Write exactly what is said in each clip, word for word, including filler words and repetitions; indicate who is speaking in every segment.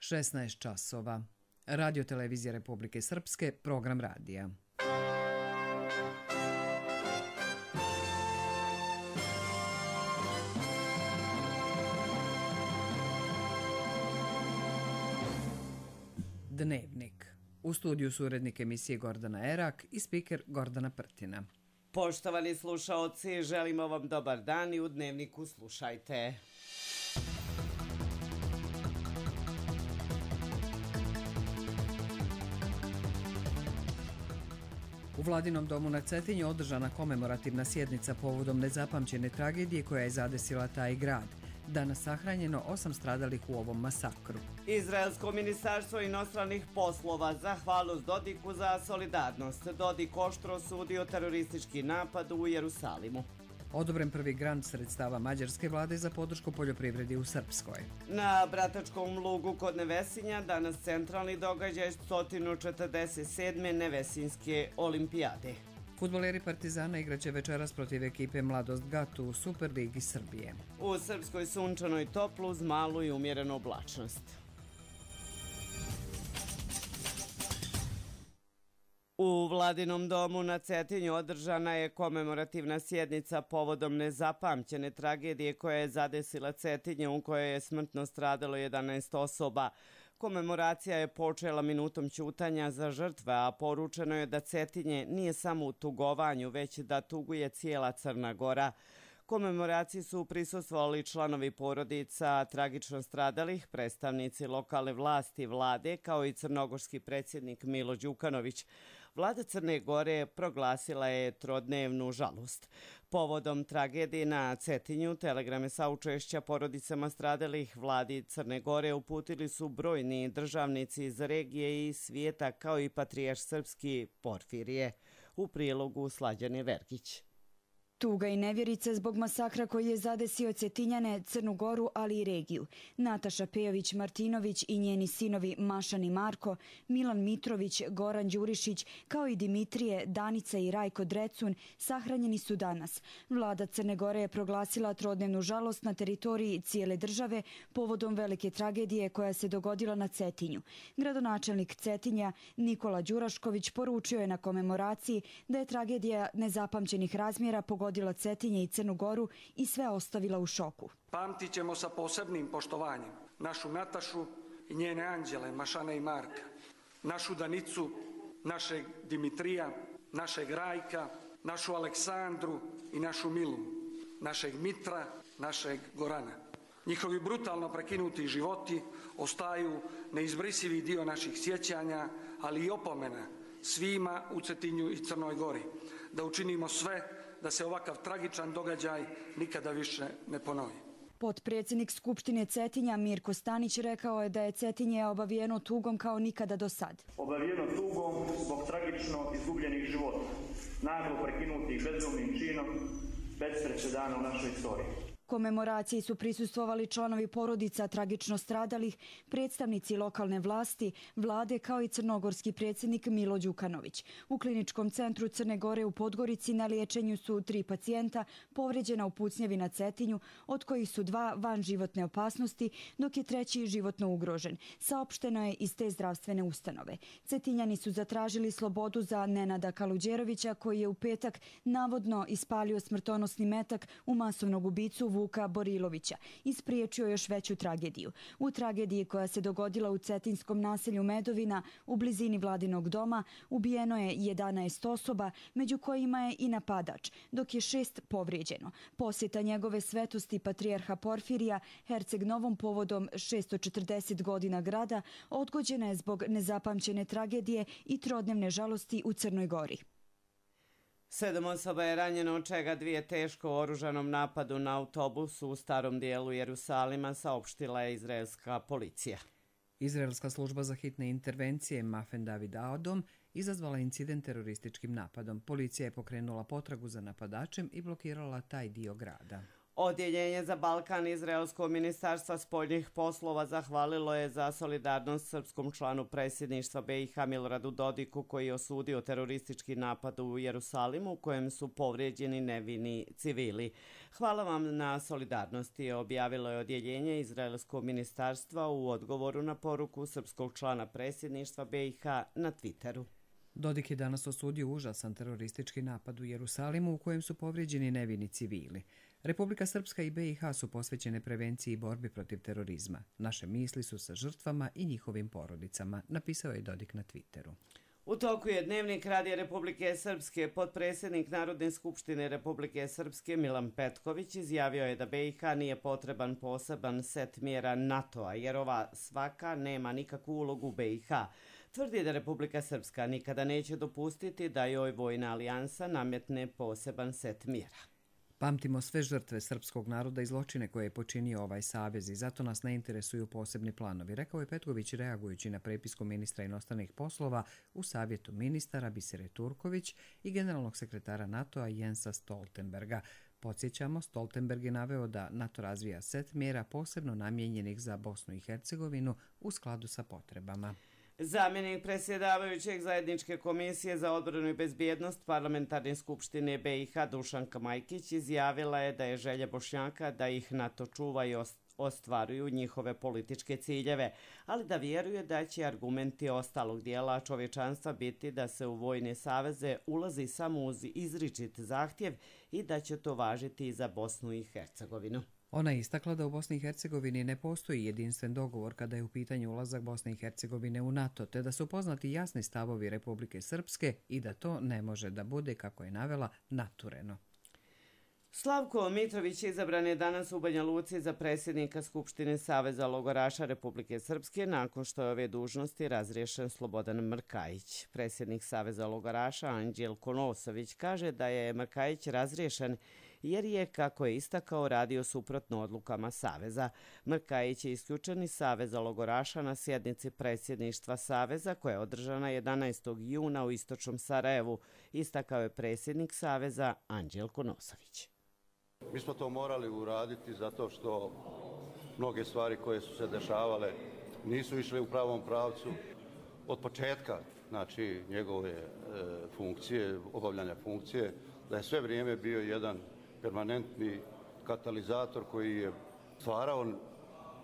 Speaker 1: šesnaest časova. Radio televizija Republike Srpske, program radija. Dnevnik. U studiju su urednik emisije Gordana Erak i spiker Gordana Prtina.
Speaker 2: Poštovani slušaoci, želimo vam dobar dan i u Dnevniku slušajte.
Speaker 1: U Vladinom domu na Cetinju održana komemorativna sjednica povodom nezapamćene tragedije koja je zadesila taj grad. Danas sahranjeno osam stradalih u ovom masakru.
Speaker 2: Izraelsko ministarstvo inostranih poslova zahvalnost Dodiku za solidarnost. Dodik oštro osudio teroristički napad u Jerusalimu.
Speaker 1: Odobren prvi grant sredstava mađarske vlade za podršku poljoprivredi u Srpskoj.
Speaker 2: Na Bratačkom lugu kod Nevesinja danas centralni događaj sto četrdeset sedme Nevesinjske olimpijade.
Speaker 1: Fudbaleri Partizana igraće večeras protiv ekipe Mladost Gat u Superligi Srbije.
Speaker 2: U Srpskoj sunčano i toplo uz malu i umjerenu oblačnost. U Vladinom domu na Cetinju održana je komemorativna sjednica povodom nezapamćene tragedije koja je zadesila Cetinje u kojoj je smrtno stradalo jedanaest osoba. Komemoracija je počela minutom ćutanja za žrtve, a poručeno je da Cetinje nije samo u tugovanju, već da tuguje cijela Crna Gora. Komemoraciji su prisustvovali članovi porodica tragično stradalih, predstavnici lokalne vlasti vlade, kao i crnogorski predsjednik Milo Đukanović. Vlada Crne Gore proglasila je trodnevnu žalost. Povodom tragedije na Cetinju, telegrame saučešća porodicama stradalih vladi Crne Gore uputili su brojni državnici iz regije i svijeta, kao i patrijarh srpski Porfirije. U prilogu Slađane Vergić.
Speaker 3: Tuga i nevjerica zbog masakra koji je zadesio Cetinjane, Crnu Goru, ali i regiju. Nataša Pejović-Martinović i njeni sinovi Mašan i Marko, Milan Mitrović, Goran Đurišić, kao i Dimitrije, Danica i Rajko Drecun sahranjeni su danas. Vlada Crne Gore je proglasila trodnevnu žalost na teritoriji cijele države povodom velike tragedije koja se dogodila na Cetinju. Gradonačelnik Cetinja Nikola Đurašković poručio je na komemoraciji da je tragedija nezapamćenih razmjera pogodila Pogodila Cetinje i Crnu Goru i sve ostavila u šoku.
Speaker 4: Pamtit ćemo sa posebnim poštovanjem našu Natašu i njene anđele Mašana i Marka, našu Danicu, našeg Dimitrija, našeg Rajka, našu Aleksandru i našu Milu, našeg Mitra, našeg Gorana. Njihovi brutalno prekinuti životi ostaju neizbrisivi dio naših sjećanja, ali i opomena svima u Cetinju i Crnoj Gori, da učinimo sve da se ovakav tragičan događaj nikada više ne ponovi.
Speaker 3: Potpredsjednik Skupštine Cetinja Mirko Stanić rekao je da je Cetinje obavijeno tugom kao nikada do sad.
Speaker 5: Obavijeno tugom zbog tragično izgubljenih života, naglo prekinutih bezumnim činom, bez presedana u našoj istoriji.
Speaker 3: Komemoraciji su prisustvovali članovi porodica tragično stradalih, predstavnici lokalne vlasti, vlade kao i crnogorski predsjednik Milo Đukanović. U kliničkom centru Crne Gore u Podgorici na liječenju su tri pacijenta povređena u pucnjevi na Cetinju, od kojih su dva van životne opasnosti, dok je treći životno ugrožen. Saopšteno je iz te zdravstvene ustanove. Cetinjani su zatražili slobodu za Nenada Kaluđerovića, koji je u petak navodno ispalio smrtonosni metak u masovnog ubicu Vuka Borilovića i spriječio još veću tragediju. U tragediji koja se dogodila u cetinskom naselju Medovina u blizini Vladinog doma ubijeno je jedanaest osoba, među kojima je i napadač, dok je šest povrijeđeno. Posjeta njegove svetosti patrijarha Porfirija Herceg Novom povodom šesto četrdeset godina grada odgođena je zbog nezapamćene tragedije i trodnevne žalosti u Crnoj Gori.
Speaker 2: Sedam osoba je ranjeno, od čega dvije teško u oružanom napadu na autobusu u starom dijelu Jerusalima, saopštila je izraelska policija.
Speaker 1: Izraelska služba za hitne intervencije Mafen David Adom izazvala incident terorističkim napadom. Policija je pokrenula potragu za napadačem i blokirala taj dio grada.
Speaker 2: Odjeljenje za Balkan Izraelskog ministarstva spoljnih poslova zahvalilo je za solidarnost srpskom članu predsjedništva B i H Miloradu Dodiku koji je osudio teroristički napad u Jerusalimu u kojem su povrijeđeni nevini civili. Hvala vam na solidarnosti, objavilo je odjeljenje Izraelskog ministarstva u odgovoru na poruku srpskog člana predsjedništva B i H na Twitteru.
Speaker 1: Dodik je danas osudio užasan teroristički napad u Jerusalimu u kojem su povrijeđeni nevini civili. Republika Srpska i B i H su posvećene prevenciji i borbi protiv terorizma. Naše misli su sa žrtvama i njihovim porodicama, napisao je Dodik na Twitteru.
Speaker 2: U toku je Dnevnik Radija Republike Srpske. Potpredsjednik Narodne skupštine Republike Srpske Milan Petković izjavio je da B i H nije potreban poseban set mjera NATO-a jer ova svaka nema nikakvu ulogu B i H. Tvrdi da Republika Srpska nikada neće dopustiti da joj vojna alijansa nametne poseban set mjera.
Speaker 1: Pamtimo sve žrtve srpskog naroda i zločine koje je počinio ovaj savez i zato nas ne interesuju posebni planovi, rekao je Petković reagujući na prepisku ministra inostranih poslova u savjetu ministara Bisere Turković i generalnog sekretara NATO-a Jensa Stoltenberga. Podsjećamo, Stoltenberg je naveo da NATO razvija set mjera posebno namijenjenih za Bosnu i Hercegovinu u skladu sa potrebama.
Speaker 2: Zamjenik predsjedavajućeg zajedničke komisije za odbranu i bezbjednost Parlamentarne skupštine B i H Dušanka Majkić izjavila je da je želja Bošnjaka da ih NATO čuva i ostvaruju njihove političke ciljeve, ali da vjeruje da će argumenti ostalog dijela čovječanstva biti da se u vojne saveze ulazi samo uz izričit zahtjev i da će to važiti i za Bosnu i Hercegovinu.
Speaker 1: Ona je istakla da u Bosni i Hercegovini ne postoji jedinstven dogovor kada je u pitanju ulazak Bosne i Hercegovine u NATO, te da su poznati jasni stavovi Republike Srpske i da to ne može da bude, kako je navela, natureno.
Speaker 2: Slavko Mitrović izabran je danas u Banja Luci za predsjednika Skupštine Saveza logoraša Republike Srpske nakon što je ove dužnosti razriješen Slobodan Mrkajić. Predsjednik Saveza logoraša Anđelko Nosović kaže da je Mrkajić razriješen jer je, kako je istakao, radio suprotno odlukama Saveza. Mrkajić je isključen iz Saveza logoraša na sjednici predsjedništva Saveza koja je održana jedanaestog juna u istočnom Sarajevu, istakao je predsjednik Saveza Anđelko Nosović.
Speaker 6: Mi smo to morali uraditi zato što mnoge stvari koje su se dešavale nisu išle u pravom pravcu. Od početka, znači, njegove e, funkcije, obavljanja funkcije, da je sve vrijeme bio jedan permanentni katalizator koji je stvarao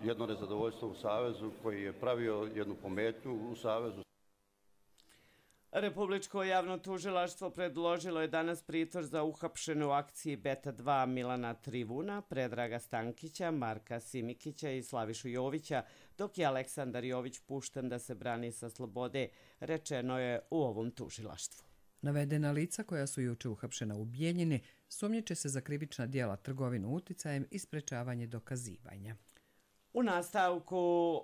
Speaker 6: jedno nezadovoljstvo u Savezu, koji je pravio jednu pometnju u Savezu.
Speaker 2: Republičko javno tužilaštvo predložilo je danas pritvor za uhapšene u akciji Beta dva Milana Trivuna, Predraga Stankića, Marka Simikića i Slavišu Jovića, dok je Aleksandar Jović pušten da se brani sa slobode, rečeno je u ovom tužilaštvu.
Speaker 1: Navedena lica koja su juče uhapšena u Bijeljini sumnjiče se za krivična djela trgovinu uticajem i sprečavanje dokazivanja.
Speaker 2: U nastavku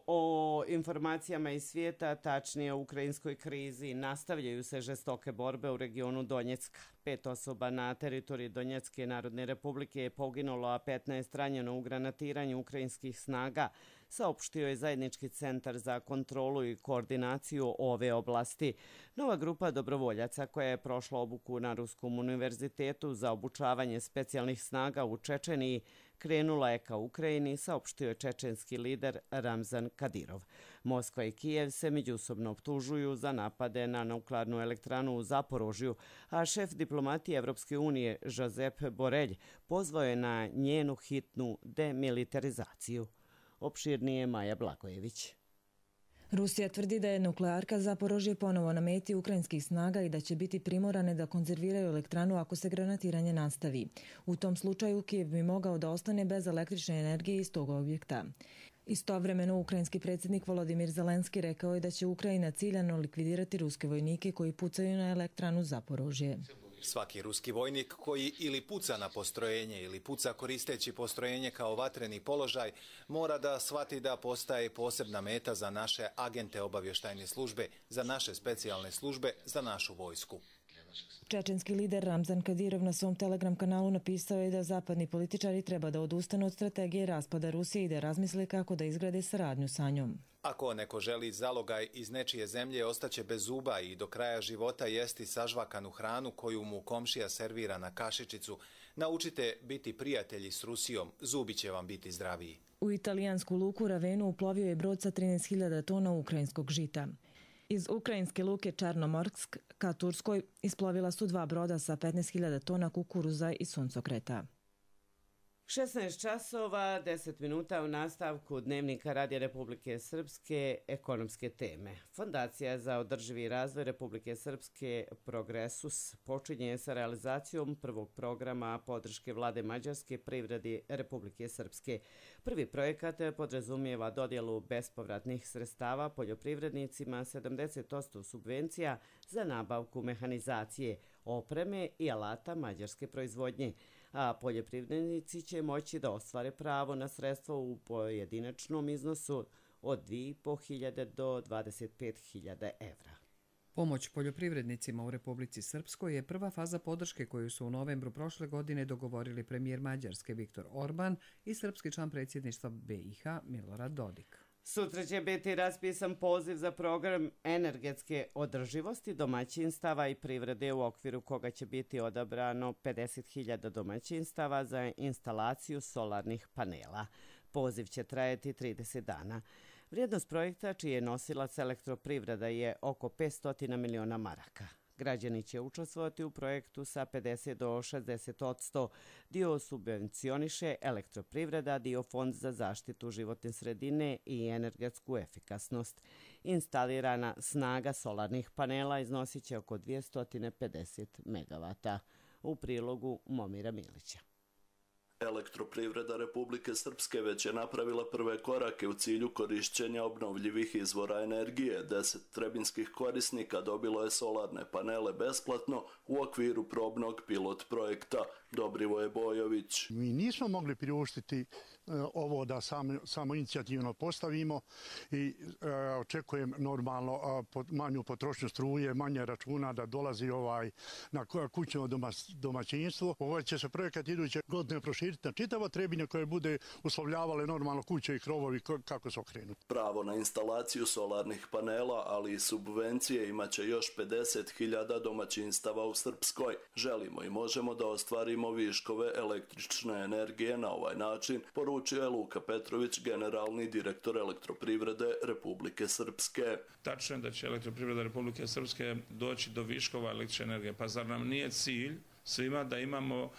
Speaker 2: o informacijama iz svijeta, tačnije o ukrajinskoj krizi, nastavljaju se žestoke borbe u regionu Donjecka. Pet osoba na teritoriji Donjecke Narodne Republike je poginulo, a petnaest ranjeno u granatiranju ukrajinskih snaga, saopštio je Zajednički centar za kontrolu i koordinaciju ove oblasti. Nova grupa dobrovoljaca koja je prošla obuku na Ruskom univerzitetu za obučavanje specijalnih snaga u Čečeniji krenula je ka Ukrajini, saopštio je čečenski lider Ramzan Kadirov. Moskva i Kijev se međusobno optužuju za napade na nuklearnu elektranu u Zaporožju, a šef diplomatije Evropske unije Josep Borelj pozvao je na njenu hitnu demilitarizaciju. Opširnije Maja Blagojević.
Speaker 7: Rusija tvrdi da je nuklearka Zaporožje ponovo na meti ukrajinskih snaga i da će biti primorane da konzerviraju elektranu ako se granatiranje nastavi. U tom slučaju Kijev bi mogao da ostane bez električne energije iz tog objekta. Istovremeno, ukrajinski predsjednik Volodimir Zelenski rekao je da će Ukrajina ciljano likvidirati ruske vojnike koji pucaju na elektranu Zaporožje.
Speaker 8: Svaki ruski vojnik koji ili puca na postrojenje ili puca koristeći postrojenje kao vatreni položaj mora da shvati da postaje posebna meta za naše agente obavještajne službe, za naše specijalne službe, za našu vojsku.
Speaker 7: Čečenski lider Ramzan Kadirov na svom Telegram kanalu napisao je da zapadni političari treba da odustanu od strategije raspada Rusije i da razmisle kako da izgrade saradnju sa njom.
Speaker 8: Ako neko želi zalogaj iz nečije zemlje, ostaće bez zuba i do kraja života jesti sažvakanu hranu koju mu komšija servira na kašičicu, Naučite biti prijatelji s Rusijom, zubi će vam biti zdraviji.
Speaker 7: U italijansku luku Ravenu uplovio je brod sa trinaest hiljada tona ukrajinskog žita. Iz ukrajinske luke Černomorsk ka Turskoj isplovila su dva broda sa petnaest hiljada tona kukuruza i suncokreta.
Speaker 2: šesnaest časova, deset minuta u nastavku Dnevnika Radija Republike Srpske, ekonomske teme. Fondacija za održivi razvoj Republike Srpske Progresus počinje sa realizacijom prvog programa podrške vlade Mađarske privredi Republike Srpske. Prvi projekat podrazumijeva dodjelu bespovratnih sredstava poljoprivrednicima, sedamdeset posto subvencija za nabavku mehanizacije, opreme i alata mađarske proizvodnje, a poljoprivrednici će moći da ostvare pravo na sredstva u pojedinačnom iznosu od dvije i po hiljade do dvadeset pet hiljada evra.
Speaker 1: Pomoć poljoprivrednicima u Republici Srpskoj je prva faza podrške koju su u novembru prošle godine dogovorili premijer Mađarske Viktor Orban i srpski član predsjedništva B i H Milorad Dodik.
Speaker 2: Sutra će biti raspisan poziv za program energetske održivosti domaćinstava i privrede u okviru koga će biti odabrano pedeset hiljada domaćinstava za instalaciju solarnih panela. Poziv će trajati trideset dana. Vrijednost projekta, čiji je nosilac elektroprivreda, je oko petsto miliona maraka. Građani će učestvovati u projektu sa pedeset do šezdeset odsto. Dio subvencioniše elektroprivreda, dio Fond za zaštitu životne sredine i energetsku efikasnost. Instalirana snaga solarnih panela iznosit će oko dvjesto pedeset megavata. U prilogu Momira Milića.
Speaker 9: Elektroprivreda Republike Srpske već je napravila prve korake u cilju korišćenja obnovljivih izvora energije. Deset trebinskih korisnika dobilo je solarne panele besplatno u okviru probnog pilot projekta. Dobrivoje Bojović.
Speaker 10: Mi nismo mogli priuštiti ovo da samo, samo inicijativno postavimo i e, očekujem normalno a, pod, manju potrošnju struje, manje računa da dolazi ovaj na kućno doma, domaćinstvo. Ovo će se projekat iduće godine proširiti na čitavo Trebinje koje bude uslovljavale normalno kuće i krovovi kako se okrenuti.
Speaker 9: Pravo na instalaciju solarnih panela, ali i subvencije imaće još pedeset hiljada domaćinstava u Srpskoj. Želimo i možemo da ostvarimo viškove električne energije na ovaj način, poručio je Luka Petrović, generalni direktor elektroprivrede Republike Srpske.
Speaker 11: Tačno je da će elektroprivreda Republike Srpske doći do viškova električne energije, pa zar nam nije cilj svima da imamo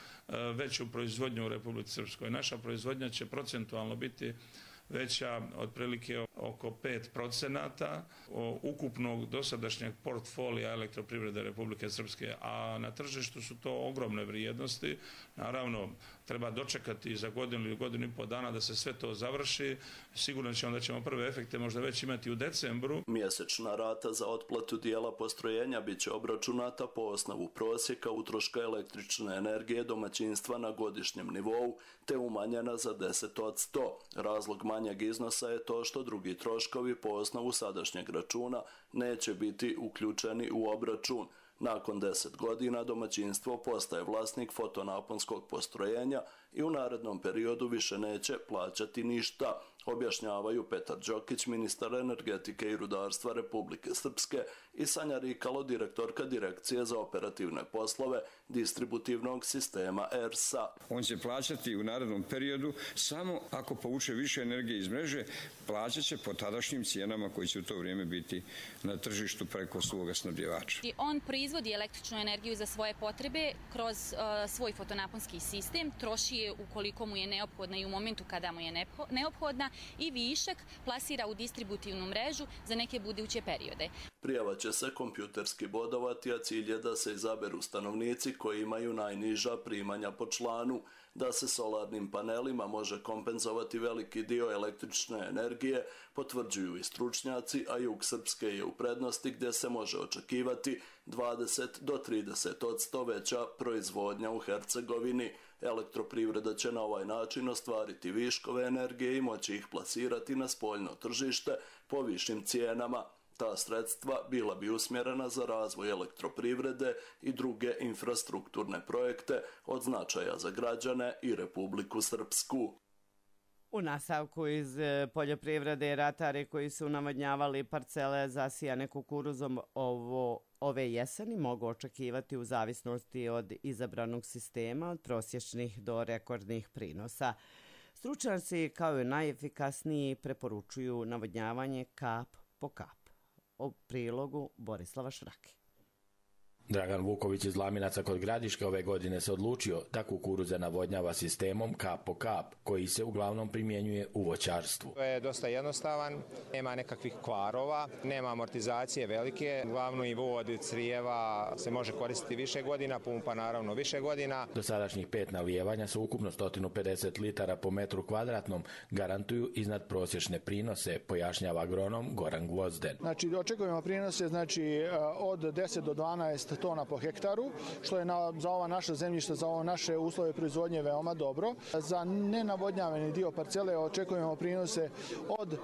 Speaker 11: veću proizvodnju u Republici Srpskoj? Naša proizvodnja će procentualno biti veća otprilike oko pet procenata ukupnog dosadašnjeg portfolija elektroprivrede Republike Srpske, a na tržištu su to ogromne vrijednosti. Naravno, treba dočekati za godinu ili godinu i po dana da se sve to završi. Sigurno ćemo da ćemo prve efekte možda već imati u decembru.
Speaker 9: Mjesečna rata za otplatu dijela postrojenja bit će obračunata po osnovu prosjeka utroška električne energije domaćinstva na godišnjem nivou, te umanjena za deset odsto. Razlog manjeg iznosa je to što drugi troškovi po osnovu sadašnjeg računa neće biti uključeni u obračun. Nakon deset godina domaćinstvo postaje vlasnik fotonaponskog postrojenja i u narednom periodu više neće plaćati ništa, objašnjavaju Petar Đokić, ministar energetike i rudarstva Republike Srpske, i Sanja Rikalo, direktorka Direkcije za operativne poslove distributivnog sistema E R S A.
Speaker 12: On će plaćati u narednom periodu samo ako povuče više energije iz mreže, plaćat će po tadašnjim cijenama koji će u to vrijeme biti na tržištu preko svoga snabdjevača.
Speaker 13: On proizvodi električnu energiju za svoje potrebe kroz uh, svoj fotonaponski sistem, troši je ukoliko mu je neophodna i u momentu kada mu je neophodna, i višak plasira u distributivnu mrežu za neke buduće periode.
Speaker 9: Prijava će se kompjuterski bodovati, a cilj je da se izaberu stanovnici koji imaju najniža primanja po članu, da se solarnim panelima može kompenzovati veliki dio električne energije, potvrđuju i stručnjaci, a jug Srpske je u prednosti gdje se može očekivati dvadeset do trideset odsto veća proizvodnja u Hercegovini. Elektroprivreda će na ovaj način ostvariti viškove energije i moći ih plasirati na spoljno tržište po višim cijenama. Ta sredstva bila bi usmjerena za razvoj elektroprivrede i druge infrastrukturne projekte od značaja za građane i Republiku Srpsku.
Speaker 2: U nastavku iz poljoprivrede ratari koji su navodnjavali parcele zasijane kukuruzom ovo, ove jeseni mogu očekivati u zavisnosti od izabranog sistema od prosječnih do rekordnih prinosa. Stručnjaci kao i najefikasniji preporučuju navodnjavanje kap po kap. O prilogu Borislava Šrake.
Speaker 14: Dragan Vuković iz Laminaca kod Gradiške ove godine se odlučio da kukuruze navodnjava sistemom kap po kap, koji se uglavnom primjenjuje u voćarstvu.
Speaker 15: To je dosta jednostavan, nema nekakvih kvarova, nema amortizacije velike, glavno i vod crijeva se može koristiti više godina, pumpa naravno više godina.
Speaker 14: Dosadašnjih pet nalijevanja su ukupno sto pedeset litara po metru kvadratnom, garantuju iznad prosječne prinose, pojašnjava agronom Goran Gvozden.
Speaker 16: Znači, očekujemo prinose znači, od deset do dvanaest tona po hektaru, što je na, za ova naša zemljišta, za ove naše uslove proizvodnje veoma dobro. Za nenavodnjavani dio parcele očekujemo prinose od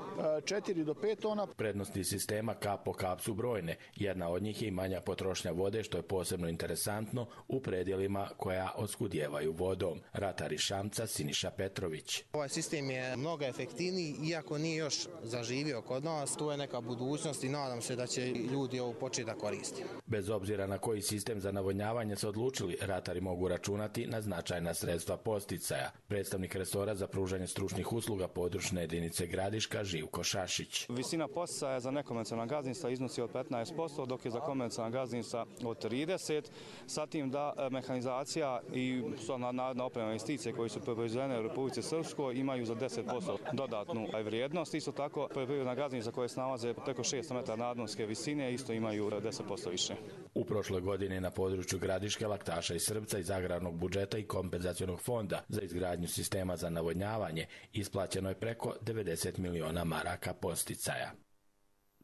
Speaker 16: četiri do pet tona.
Speaker 14: Prednosti sistema kap po kap su brojne. Jedna od njih je i manja potrošnja vode, što je posebno interesantno u predjelima koja oskudijevaju vodom. Ratar iz Šamca Siniša Petrović.
Speaker 17: Ovaj sistem je mnogo efektivniji, iako nije još zaživio kod nas. Tu je neka budućnost i nadam se da će ljudi ovo početi da koristiti.
Speaker 14: Bez obzira na koji sistem za navodnjavanje se odlučili, ratari mogu računati na značajna sredstva posticaja. Predstavnik resora za pružanje stručnih usluga područne jedinice Gradiška Živko Šašić.
Speaker 18: Visina posticaja za nekonvencionalna gazdinstva iznosi od petnaest posto, dok je za konvencionalna gazdinstva od trideset posto. Sa tim da mehanizacija i narodna oprema investicije koji su proizvedene u Republici Srpskoj imaju za deset posto dodatnu vrijednost. Isto tako, poljoprivredna gazdinstva koje se nalaze preko šesto metara nadmorske visine isto imaju deset posto više.
Speaker 14: U prošloj godini na području Gradiške, Laktaša i Srpca iz agrarnog budžeta i kompenzacionog fonda za izgradnju sistema za navodnjavanje isplaćeno je preko devedeset miliona maraka posticaja.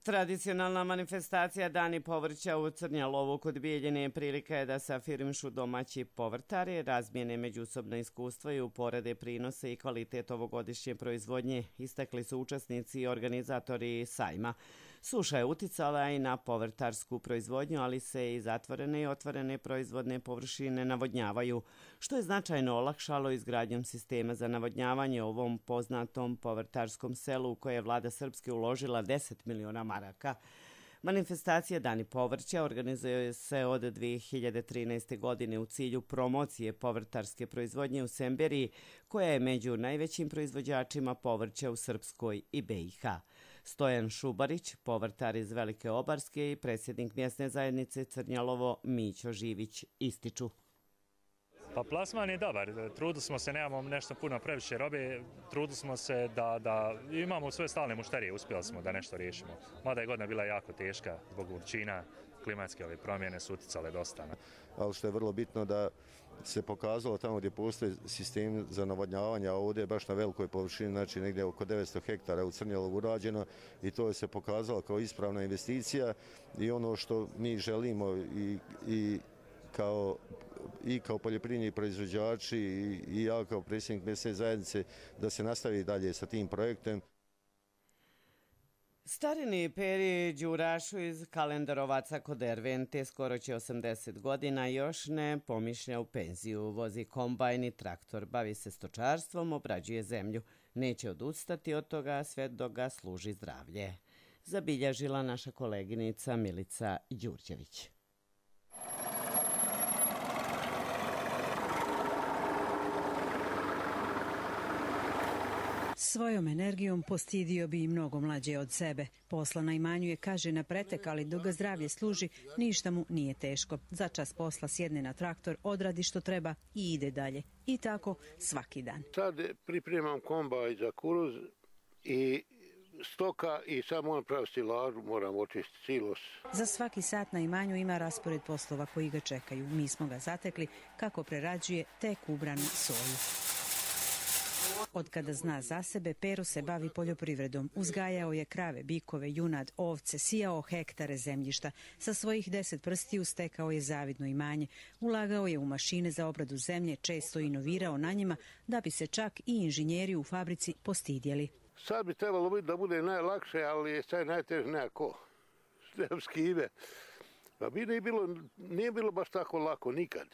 Speaker 2: Tradicionalna manifestacija Dani povrća u Crnjalovu kod Bijeljine prilika je da se afirmišu domaći povrtari, razmijene međusobna iskustva i uporede prinose i kvalitet ovogodišnje proizvodnje, istakli su učesnici i organizatori sajma. Suša je uticala i na povrtarsku proizvodnju, ali se i zatvorene i otvorene proizvodne površine navodnjavaju, što je značajno olakšalo izgradnjom sistema za navodnjavanje u ovom poznatom povrtarskom selu u koje je vlada Srpske uložila deset miliona maraka. Manifestacija Dani povrća organizuje se od dvije hiljade trinaeste. godine u cilju promocije povrtarske proizvodnje u Semberiji, koja je među najvećim proizvođačima povrća u Srpskoj i B i H. Stojan Šubarić, povrtar iz Velike Obarske i predsjednik mjesne zajednice Crnjalovo Mićo Živić ističu.
Speaker 19: Pa plasman je dobar, trudili smo se, nemamo nešto puno previše robe, trudili smo se da, da imamo sve stalne mušterije, uspjeli smo da nešto riješimo. Mada je godina bila jako teška zbog vrućina, klimatske ove promjene su uticale dosta.
Speaker 20: Ali što je vrlo bitno da se pokazalo tamo gdje postoji sistem za navodnjavanje, a ovdje je baš na velikoj površini, znači negdje oko devetsto hektara u Crnjalovu urađeno i to je se pokazalo kao ispravna investicija i ono što mi želimo i, i kao i kao poljoprivredni proizvođači i ja kao predsjednik mjesne zajednice da se nastavi dalje sa tim projektom.
Speaker 2: Starini Peri Đurašu iz Kalendarovaca kod Ervente skoro će osamdeset godina, još ne pomišlja u penziju. Vozi kombajn i traktor, bavi se stočarstvom, obrađuje zemlju. Neće odustati od toga sve dok ga služi zdravlje. Zabilježila naša koleginica Milica Đurđević.
Speaker 21: Svojom energijom postidio bi i mnogo mlađe od sebe. Posla na imanju je, kaže, na pretek, ali dok ga zdravlje služi, ništa mu nije teško. Za čas posla sjedne na traktor, odradi što treba i ide dalje. I tako svaki dan.
Speaker 22: Sad pripremam kombajn za kukuruz i stoka i sad moram praviti stilažu, moram očistiti silos.
Speaker 21: Za svaki sat na imanju ima raspored poslova koji ga čekaju. Mi smo ga zatekli kako prerađuje tek ubranu soju. Od kada zna za sebe, Pero se bavi poljoprivredom. Uzgajao je krave, bikove, junad, ovce, sijao hektare zemljišta. Sa svojih deset prstiju stekao je zavidno imanje. Ulagao je u mašine za obradu zemlje, često inovirao na njima, da bi se čak i inženjeri u fabrici postidjeli.
Speaker 22: Sad bi trebalo biti da bude najlakše, ali je sad najteže nekako. Skive. Pa bi ne bilo, nije bilo baš tako lako nikad.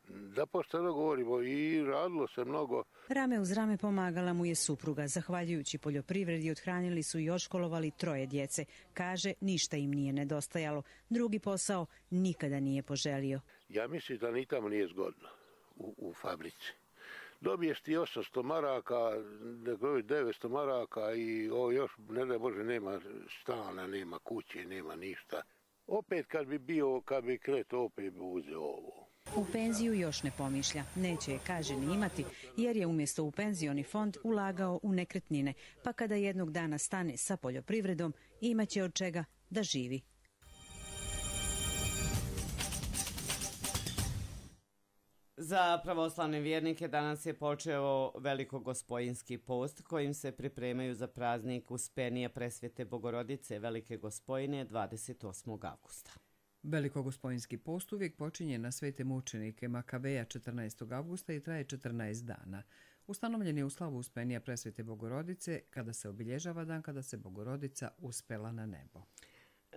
Speaker 22: Da pošteno govorimo, i radilo se mnogo.
Speaker 21: Rame uz rame pomagala mu je supruga. Zahvaljujući poljoprivredi othranili su i oškolovali troje djece. Kaže, ništa im nije nedostajalo. Drugi posao nikada nije poželio.
Speaker 22: Ja mislim da ni tamo nije zgodno u, u fabrici. Dobiješ ti osamsto maraka, devetsto maraka i ovo još, ne da Bože, nema stana, nema kuće, nema ništa. Opet kad bi bio, kad bi kreto, opet bi uzeo ovo.
Speaker 21: U penziju još ne pomišlja. Neće je, kaže, ni imati, jer je umjesto u penzioni fond ulagao u nekretnine, pa kada jednog dana stane sa poljoprivredom, imaće od čega da živi.
Speaker 2: Za pravoslavne vjernike danas je počeo Velikogospojinski post kojim se pripremaju za praznik Uspenija Presvete Bogorodice Velike Gospojine dvadeset osmog avgusta.
Speaker 1: Velikogospojinski post uvijek počinje na svete mučenike Makabeja četrnaestog avgusta i traje četrnaest dana. Ustanovljen je u slavu Uspenija Presvete Bogorodice kada se obilježava dan kada se Bogorodica uspela na nebo.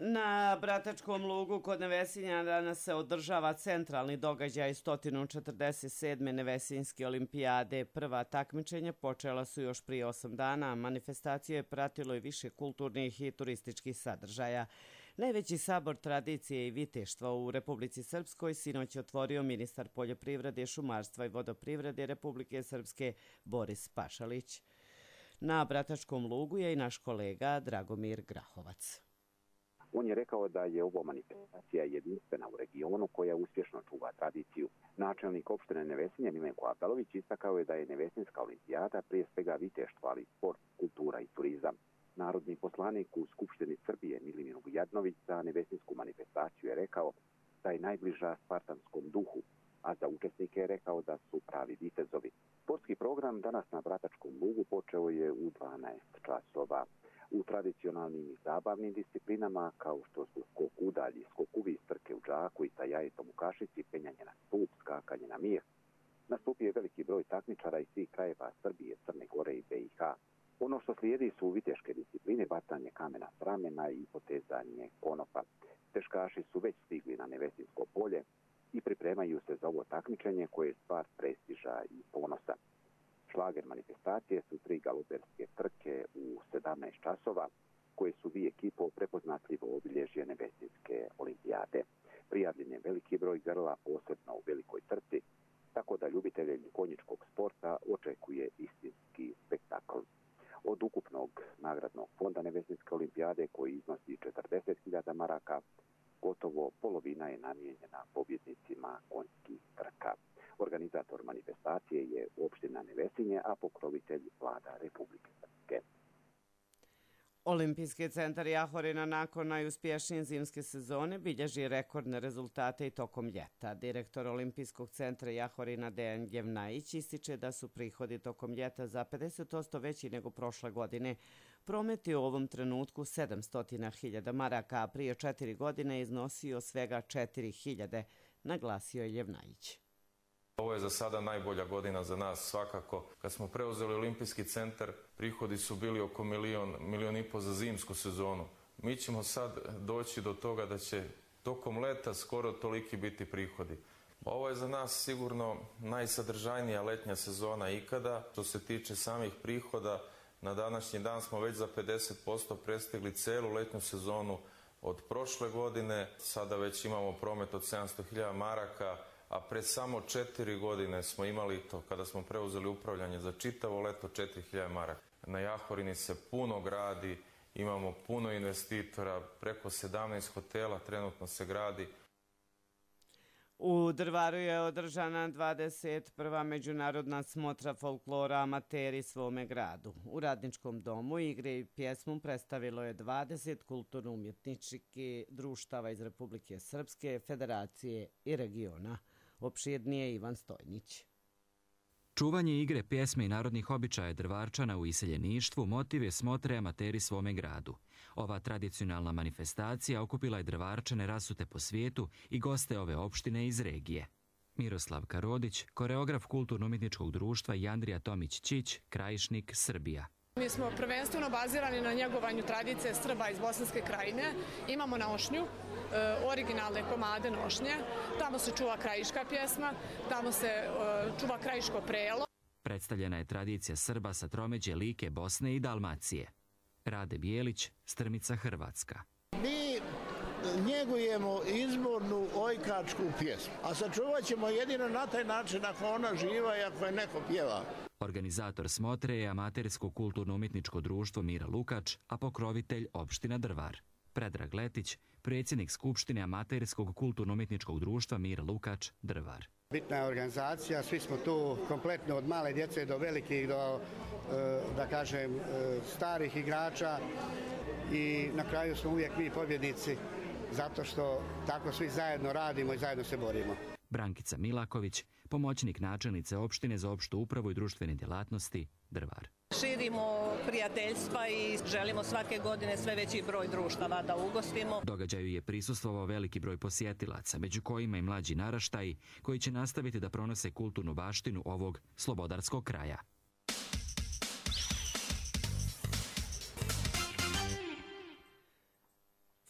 Speaker 2: Na Bratačkom lugu kod Nevesinja danas se održava centralni događaj sto četrdeset sedme Nevesinjske olimpijade. Prva takmičenja počela su još prije osam dana, a manifestaciju je pratilo i više kulturnih i turističkih sadržaja. Najveći sabor tradicije i viteštva u Republici Srpskoj sinoć je otvorio ministar poljoprivrede, šumarstva i vodoprivrede Republike Srpske Boris Pašalić. Na Bratačkom lugu je i naš kolega Dragomir Grahovac.
Speaker 4: On je rekao da je ovo manifestacija jedinstvena u regionu koja uspješno čuva tradiciju. Načelnik opštine Nevesinje Milenko Abelović istakao je da je Nevesinjska olimpijada prije svega viteštvo, ali sport, kultura i turizam. Narodni poslanik u Skupštini Srbije Milimir Vujadnović za Nevesinjsku manifestaciju je rekao da je najbliža spartanskom duhu, a za učesnike je rekao da su pravi vitezovi. Sportski program danas na Bratačkom lugu počeo je u dvanaest časova. U tradicionalnim i zabavnim disciplinama, kao što su skok udalji, skok uvis, trke u džaku i sa jajetom u kašici, penjanje na stup, skakanje na mir, nastupio je veliki broj takmičara iz svih krajeva Srbije, Crne Gore i B i H. Ono što slijedi su viteške discipline, bacanje kamena s ramena i potezanje konopa. Teškaši su već stigli na Nevesinjsko polje i pripremaju se za ovo takmičenje koje je stvar prestiža i ponosa. Šlager manifestacije su tri galoperske trke u sedamnaest časova, koje su vi ekipo prepoznatljivo obilježje Nevesinjske olimpijade. Prijavljen je veliki broj grla, posebno u velikoj trci, tako da ljubitelje konjičkog sporta očekuje istinski spektakl. Od ukupnog nagradnog fonda Nevesinjske olimpijade, koji iznosi četrdeset hiljada maraka, gotovo polovina je namijenjena pobjednicima konjskih trka. Organizator manifestacije je opština Nevesinje, a pokrovitelj vlada Republike Srpske.
Speaker 2: Olimpijski centar Jahorina nakon najuspješnije zimske sezone bilježi rekordne rezultate i tokom ljeta. Direktor Olimpijskog centra Jahorina Dejan Jevnajić ističe da su prihodi tokom ljeta za pedeset posto veći nego prošle godine. Promet je u ovom trenutku sedamsto hiljada maraka, a prije četiri godine iznosio svega četiri hiljade, naglasio je Jevnajić.
Speaker 5: Ovo je za sada najbolja godina za nas svakako. Kad smo preuzeli Olimpijski centar, prihodi su bili oko milion, milion i po za zimsku sezonu. Mi ćemo sad doći do toga da će tokom leta skoro toliki biti prihodi. Ovo je za nas sigurno najsadržajnija letnja sezona ikada. Što se tiče samih prihoda, na današnji dan smo već za pedeset posto prestigli celu letnju sezonu od prošle godine. Sada već imamo promet od sedamsto hiljada maraka, a pre samo četiri godine smo imali to, kada smo preuzeli upravljanje za čitavo leto, četiri hiljade maraka. Na Jahorini se puno gradi, imamo puno investitora, preko sedamnaest hotela trenutno se gradi.
Speaker 2: U Drvaru je održana dvadeset prva međunarodna smotra folklora Amateri svome gradu. U Radničkom domu igre i pjesmu predstavilo je dvadeset kulturno-umjetničkih društava iz Republike Srpske, Federacije i regiona. Opširnije Ivan Stojnić.
Speaker 23: Čuvanje igre, pjesme i narodnih običaja Drvarčana u iseljeništvu motiv je smotre Amateri svome gradu. Ova tradicionalna manifestacija okupila je Drvarčane rasute po svijetu i goste ove opštine iz regije. Miroslav Karodić, koreograf Kulturno-umjetničkog društva i Andrija Tomić-Čić, Krajišnik, Srbija.
Speaker 3: Mi smo prvenstveno bazirani na njegovanju tradicije Srba iz Bosanske krajine. Imamo nošnju, originalne komade nošnje. Tamo se čuva krajiška pjesma, tamo se čuva krajiško prelo.
Speaker 23: Predstavljena je tradicija Srba sa tromeđe Like, Bosne i Dalmacije. Rade Bijelić, Strmica, Hrvatska.
Speaker 6: Mi njegujemo izbornu ojkačku pjesmu, a sačuvat ćemo jedino na taj način ako ona živa i ako je neko pjeva.
Speaker 23: Organizator smotre je amatersko kulturno-umjetničko društvo Mira Lukač, a pokrovitelj opština Drvar. Predrag Letić, predsjednik Skupštine amaterskog kulturno-umjetničkog društva Mira Lukač, Drvar.
Speaker 8: Bitna je organizacija, svi smo tu kompletno od male djece do velikih, do, da kažem, starih igrača i na kraju smo uvijek mi pobjednici zato što tako svi zajedno radimo i zajedno se borimo.
Speaker 23: Brankica Milaković, pomoćnik načelnice opštine za opštu upravu i društvene djelatnosti, Drvar.
Speaker 24: Širimo prijateljstva i želimo svake godine sve veći broj društava da ugostimo.
Speaker 23: Događaju je prisustvovao veliki broj posjetilaca, među kojima i mlađi naraštaji koji će nastaviti da pronose kulturnu baštinu ovog slobodarskog kraja.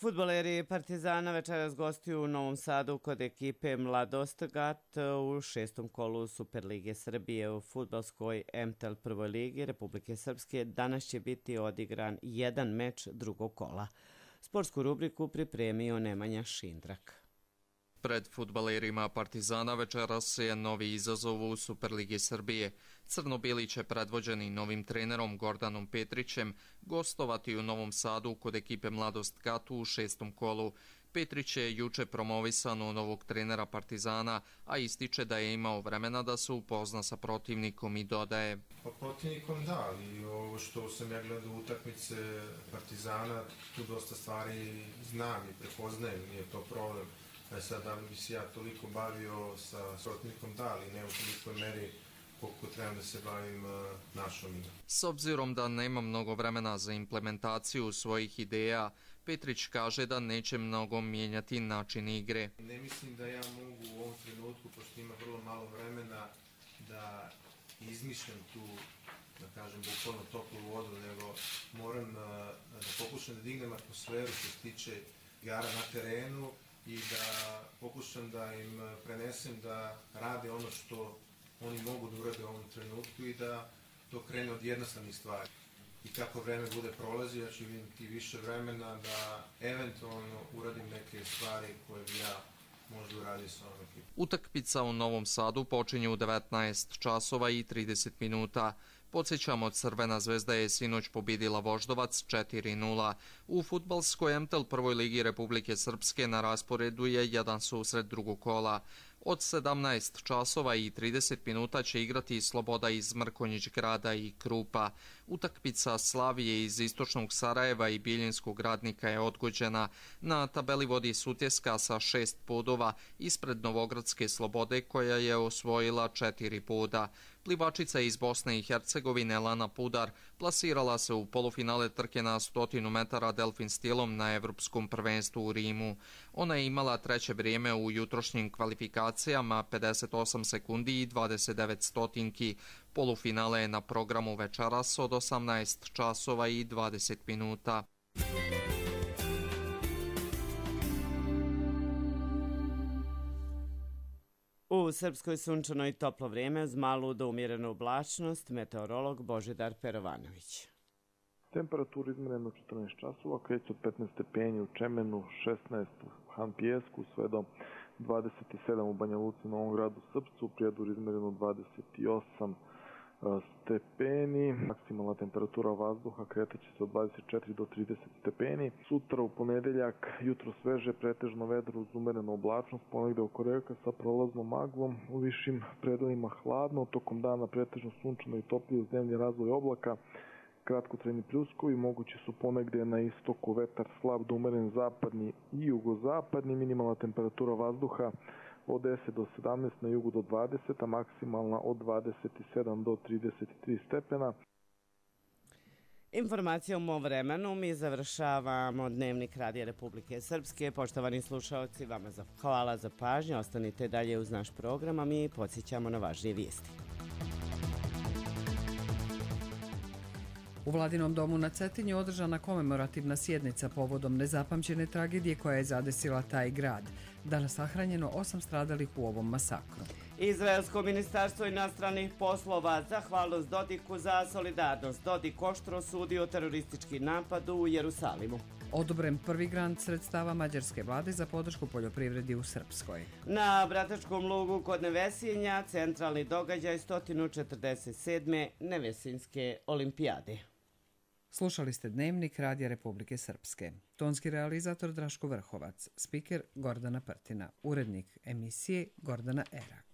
Speaker 2: Fudbaleri Partizana večeras gostuju u Novom Sadu kod ekipe Mladost Gat u šestom kolu Superlige Srbije u fudbalskoj M T L prvoj ligi Republike Srpske. Danas će biti odigran jedan meč drugog kola. Sportsku rubriku pripremio Nemanja Šindrak.
Speaker 25: Pred fudbalerima Partizana večeras je novi izazov u Superligi Srbije. Crno-bili će predvođeni novim trenerom Gordanom Petrićem gostovati u Novom Sadu kod ekipe Mladost Gat u šestom kolu. Petrić je juče promovisan u novog trenera Partizana, a ističe da je imao vremena da se upozna sa protivnikom i dodaje.
Speaker 26: Pa protivnikom da, ali ovo što sam ja gledao utakmice Partizana, tu dosta stvari znam i prepoznajem, nije to problem. E sad, da li bi se ja toliko bavio sa protivnikom, da, ali ne u tolikoj meri koliko trebam da se bavim uh, našom igrom.
Speaker 25: S obzirom da nema mnogo vremena za implementaciju svojih ideja, Petrić kaže da neće mnogo mijenjati način igre.
Speaker 26: Ne mislim da ja mogu u ovom trenutku, pošto ima vrlo malo vremena, da izmišljam tu, da kažem, bukvalno toplu vodu, nego moram uh, da pokušam da dignem atmosferu što se tiče igara na terenu i da pokušam da im prenesem da rade ono što oni mogu da urade u ovom trenutku i da to krene od jednostavnih stvari. I kako vreme bude prolazi, ja ću imati više vremena da eventualno uradim neke stvari koje bi ja možda uradio sa ovom ekipom.
Speaker 25: Utakmica u Novom Sadu počinje u devetnaest časova i trideset minuta. Podsjećamo, Crvena zvezda je sinoć pobjedila Voždovac četiri nula. U fudbalskoj M T L prvoj ligi Republike Srpske na rasporedu je jedan susret drugog kola. Od sedamnaest časova i trideset minuta će igrati Sloboda iz Mrkonjić Grada i Krupa. Utakmica Slavije iz Istočnog Sarajeva i Bijeljinskog Radnika je odgođena. Na tabeli vodi Sutjeska sa šest bodova ispred Novogradske Slobode koja je osvojila četiri boda. Plivačica iz Bosne i Hercegovine Lana Pudar plasirala se u polufinale trke na stotinu metara delfin stilom na Evropskom prvenstvu u Rimu. Ona je imala treće vrijeme u jutrošnjim kvalifikacijama pedeset osam sekundi i dvadeset devet stotinki. Polufinale je na programu večeras od osamnaest časova i dvadeset minuta.
Speaker 2: U Srpskoj sunčano i toplo vrijeme uz malu do umjerenu oblačnost, meteorolog Božidar Perovanović.
Speaker 27: Temperatura izmjerena četrnaest časova, kreće od petnaest stepeni u Čemenu, šesnaest u Han Pijesku, sve do dvadeset sedam u Banja Luci, Novom Gradu, Srpcu, u Prijedoru izmjereno dvadeset osam stepeni, maksimalna temperatura vazduha kretaće se od dvadeset četiri do trideset stepeni. Sutra u ponedeljak jutro sveže, pretežno vedro uz umerenu oblačnost, ponegde oko reka sa prolaznom maglom, u višim predelima hladno, tokom dana pretežno sunčano i toplije uz dnevni razvoj oblaka, kratkotrajni pljuskovi, mogući su ponegde na istoku vetar slab do umeren zapadni i jugozapadni, minimalna temperatura vazduha od deset do sedamnaest, na jugu do dvadeset, a maksimalna od dvadeset sedam do trideset tri stepena.
Speaker 2: Informacijom o vremenu mi završavamo Dnevnik Radija Republike Srpske. Poštovani slušalci, vama za, hvala za pažnju. Ostanite dalje uz naš program, a mi podsjećamo na važnije vijesti.
Speaker 1: U Vladinom domu na Cetinju održana komemorativna sjednica povodom nezapamćene tragedije koja je zadesila taj grad. Danas sahranjeno osam stradalih u ovom masakru.
Speaker 2: Izraelsko ministarstvo inostranih poslova zahvalnost Dodiku za solidarnost. Dodik oštro osudio teroristički napad u Jerusalimu.
Speaker 1: Odobren prvi grant sredstava mađarske vlade za podršku poljoprivredi u Srpskoj.
Speaker 2: Na Bratačkom lugu kod Nevesinja centralni događaj sto četrdeset sedme Nevesinske olimpijade.
Speaker 1: Slušali ste Dnevnik Radija Republike Srpske. Tonski realizator Draško Vrhovac, spiker Gordana Prtina, urednik emisije Gordana Erak.